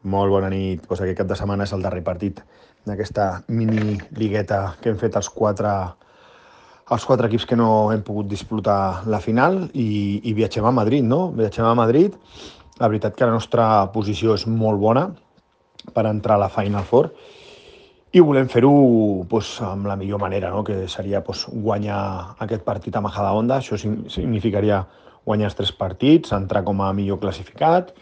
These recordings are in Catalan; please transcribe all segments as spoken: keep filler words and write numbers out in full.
Molt bona nit. Pues aquest cap de setmana és el darrer partit d'aquesta mini ligueta que hem fet els quatre, els quatre equips que no hem pogut disputar la final i, i viatgem a Madrid, no? Viatgem a Madrid. La veritat que la nostra posició és molt bona per entrar a la Final Four i volem fer-ho pues, amb la millor manera, no? Que seria pues, guanyar aquest partit a Majadahonda. Això significaria guanyar els tres partits, entrar com a millor classificat.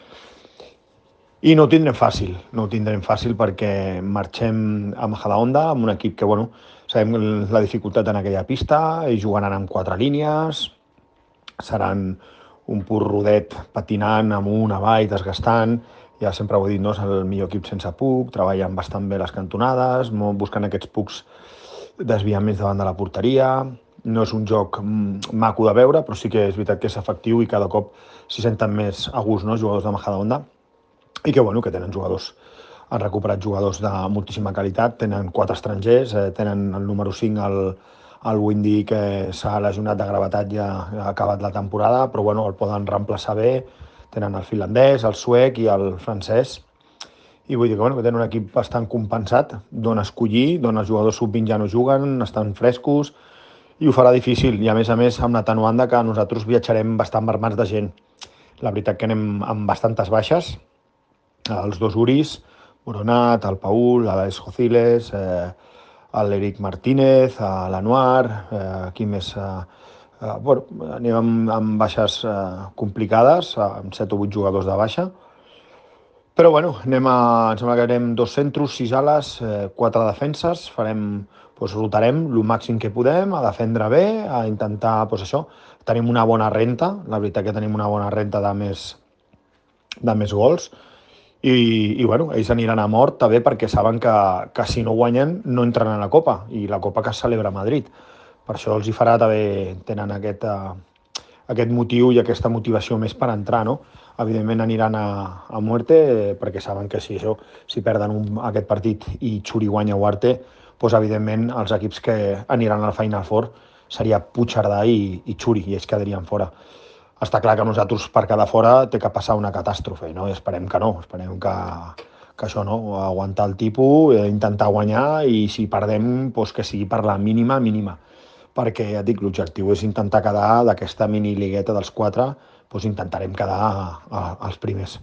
I no ho tindrem fàcil, no ho tindrem fàcil perquè marxem a Majadahonda amb un equip que, bueno, sabem la dificultat en aquella pista, i jugaran amb quatre línies, seran un pur rodet patinant amunt, avall, desgastant. Ja sempre ho he dit, no? És el millor equip sense puc, treballen bastant bé les cantonades, buscant aquests pucs desviaments davant de la porteria. No és un joc maco de veure, però sí que és veritat que és efectiu i cada cop s'hi senten més a gust, no? Els jugadors de Majadahonda. I que, bueno, que tenen jugadors, han recuperat jugadors de moltíssima qualitat, tenen quatre estrangers, eh, tenen el número cinc, el, el Windy, que s'ha lesionat de gravetat i ha, ha acabat la temporada, però bueno, el poden reemplaçar bé, tenen el finlandès, el suec i el francès, i vull dir que, bueno, que tenen un equip bastant compensat, d'on escollir, d'on els jugadors sub vint ja no juguen, estan frescos, i ho farà difícil, i a més a més amb l'atenuant que nosaltres viatjarem bastant armats de gent. La veritat que anem amb bastantes baixes, els dos Uris, Moronat, el Paul, l'Alex Jociles, eh, l'Eric Martínez, l'Anuar, eh, qui més... Eh, eh, bueno, anem amb, amb baixes eh, complicades, amb set o vuit jugadors de baixa, però bueno, anem a, em sembla que anem dos centros, sis ales, eh, quatre defenses, farem, doncs, rotarem el màxim que podem, a defendre bé, a intentar, doncs això, tenim una bona renta, la veritat que tenim una bona renta de més, de més gols, i, i bueno, ells aniran a mort també perquè saben que, que si no guanyen no entren a la Copa, i la Copa que es celebra a Madrid. Per això els hi farà també, tenen aquest, uh, aquest motiu i aquesta motivació més per entrar, no? Evidentment aniran a, a muerte, eh, perquè saben que si, això, si perden un, aquest partit i Xuri guanya o Arte, doncs evidentment els equips que aniran al Final Four seria Puigcerdà i, i Xuri, i ells quedarien fora. Està clar que nosaltres per quedar fora té que passar una catàstrofe, no? I esperem que no, esperem que, que això no, aguantar el tipus, eh, intentar guanyar, i si perdem, doncs que sigui per la mínima, mínima. Perquè, ja et dic, l'objectiu és intentar quedar d'aquesta mini ligueta dels quatre, doncs intentarem quedar a, a, als primers.